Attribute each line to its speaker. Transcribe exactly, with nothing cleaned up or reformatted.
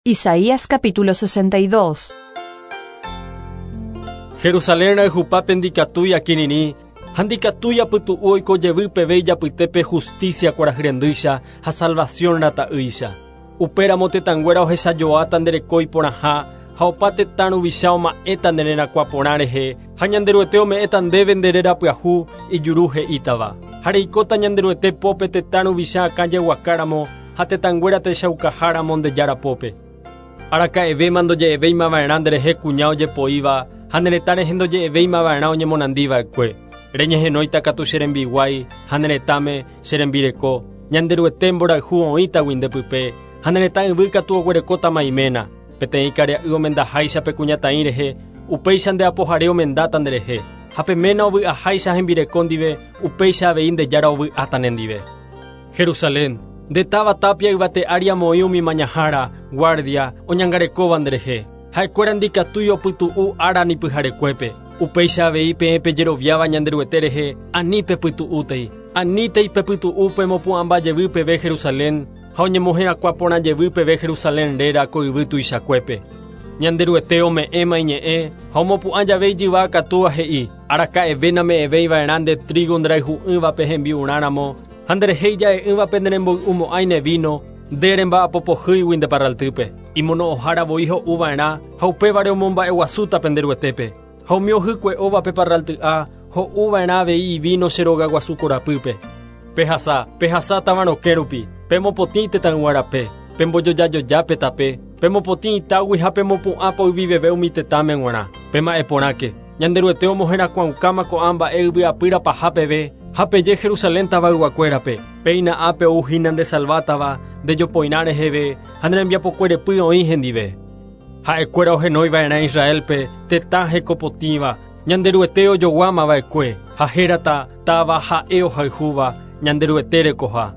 Speaker 1: Isaías capítulo sesenta y dos.
Speaker 2: Jerusalén rayhupape ndikatúi akirirĩ ha ndikatúi apytu'u oiko jevy peve ijapytépe justicia kuarahyrendycha ha salvación rata'ýicha. Upéramo tetãnguéra ohechajoáta ndereko iporãha ha opa tetã ruvicha oma'ẽta nde rerakuã porã rehe ha Ñanderuete ome'ẽta ndéve nde réra pyahu ijuru he'ítava. Ha reikóta Ñanderuete pópe tetã ruvicha akã jeguakáramo ha tetãnguéra techaukaháramo nde jára pópe. Araka'evéma ndoje'evéimava'erã nderehe kuña ojepoíva ha ne retã rehe ndoje'evéimava'erã oñemonandiva'ekue. Reñehenóita katu che rembiguái ha ne retãme che rembireko. Ñanderuete mborayhu oĩtagui ndepype ha ne retã yvy katu oguerekótama iména. Peteĩ karia'y omendaháicha pe kuñataĩ rehe, upéicha nde apohare omendáta nderehe. Ha pe ména ovy'aháicha hembireko ndive, upéicha avei nde jára ovy'áta nendive. Jerusalén, nde táva tapia yvate ári amoĩ umi mañahára, guardia, oñangarekóva nderehe. Ha'ekuéra ndikatúi opytu'u ára ni pyharekuépe. Upéicha avei peẽ pejeroviáva Ñanderuete rehe, ani pepytu'útei. Anítei pepytu'u pemopu'ãmba jevy peve Jerusalén, ha oñemoherakuã porã jevy peve Jerusalén réra ko yvy tuichakuépe. Ñanderuete ome'ẽma iñe'ẽ ha omopu'ã jave ijyva akatúva he'i, araka'eve name'ẽvéiva'erã nde trigo nderayhu'ỹvape hembi'urãramo, ha nderehe ija'e'ỹvape neremboy'umo'ãi ne vino, nde remba'apopohýigui nde parraltýpe. Imono'õhára voi ho'uva'erã ha upévare omomba'eguasúta penderuetépe. Ha umi ohykue'óvape parralty'a ho'uva'erã avei ivino che rogaguasu korapýpe. Pehasa, pehasa táva rokẽ rupi, pemopotĩ tetãyguárape, pembojojajojápe tape, pemopotĩ itágui ha pemopu'ã poyviveve umi tetãme g̃uarã. Pema'ẽporãke, Ñanderuete omoherakuãukáma ko'ã mba'e yvyapýra paha peve, ha peje Jerusalén tavayguakuérape, péina ápe ouhína ndesalvátava, ndejopoirã reheve, ha ne rembiapokuerepy oĩ hendive. Ha'ekuéra ohenóiva'erã Israelpe, tetã hekopotĩva, Ñanderuete ojoguámava'ekue, ha hérata táva ha'e ohayhúva, Ñanderuete rekoha.